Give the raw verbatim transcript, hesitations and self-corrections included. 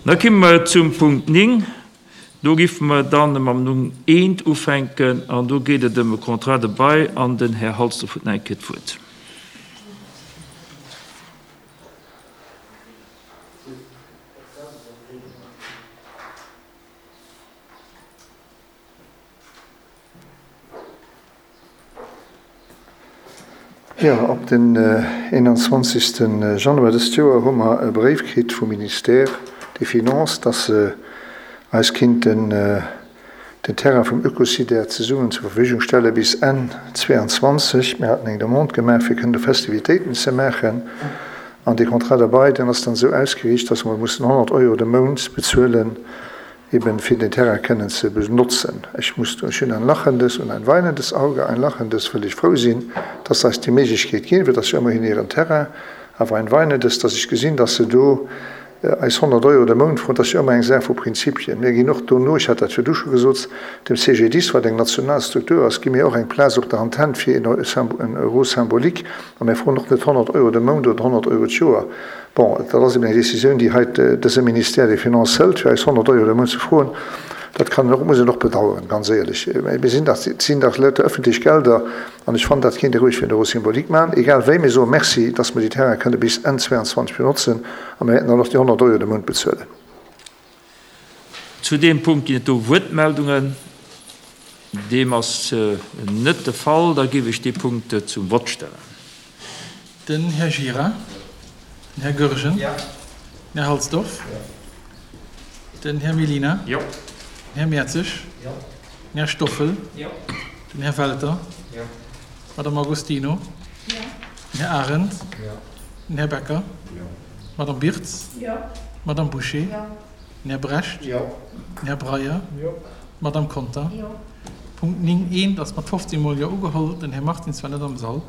Da komme mer zum Punkt néng. Do géife mer dann mam Numm eent ufänken an do geet et ëm e Contrat de bail an den Här Halsdorf huet nach eng Kéier d'Wuert. Jo, op den eenanzwanzegste Januar dëst Joer hu mer e Bréif kritt vum Ministère des Finances, dass se eis kinnten den Terrain vum Eucosider zesummen zur Verfügung stelle bis Enn zweeanzwanzeg. Mir haten eng Demande gemaach, fir kënnen do Festivitéiten ze maachen. An dee Contrat de bail, deen ass dann esou ausgeriicht, dass mer mussen honnert Euro de Mount bezuelen, eben fir den Terrain kënnen ze benotzen. Ech muss do, ech hunn ein lachendes und ein weinendes Auge, ein lachendes, wëll ech frou sinn, dass se eis déi Méiglechkeet ginn, well et ass jo ëmmerhin hiren Terrain, awer ein weinendes, dass ech gesinn, dass se do eis honnert Euro de Mount froen. Dat ass jo ëmmer eng Saach vu Prinzipien. Mir ginn och dono, ech hat dat virdu scho gesot, dem C G D I S, wat eng national Struktur ass, gi mir och eng Plaz op der Antenn fir en Euro symbolique, a mir froen och net honnert Euro de Mount oder honnert Euro d'Joer. Bon, dat ass eben eng Décisioun, déi hei dëse Ministère des Finances hëlt, fir eis honnert Euro de Mount ze froen. Dat kann een och, muss een och bedauern, ganz éierlech. Mir sinn dach, et sinn dach lauter öffentlech Gelder, an ech fannen, dat kéint ee roueg fir en Euro symbolique maachen. Egal wéi, mir soe Merci, dass mer déi Terraine kënne bis Enn zweeanzwanzeg benotzen, a mir wäerten dann och déi honnert Euro de Mount bezuelen. Zu deem Punkt ginn et do Wuertmeldungen? Deem ass net de Fall. Da géif ech dee Punkt zum Vott stellen. Den Här Gira. Den Här Goergen. Den Här Halsdorf. Den Här Mellina. Den Här Mertzig. Den Här Stoffel. Den Här Welter. D'Madame Agostino. Den Här Arendt. Den Här Becker. D'Madame Birtz. D'Madame Bouché. Den Här Brecht. Den Här Breyer. D'Madame Conter. Punkt néng eent ass mat fofzéng mol Jo ugeholl. Den Här Martins war net am Sall.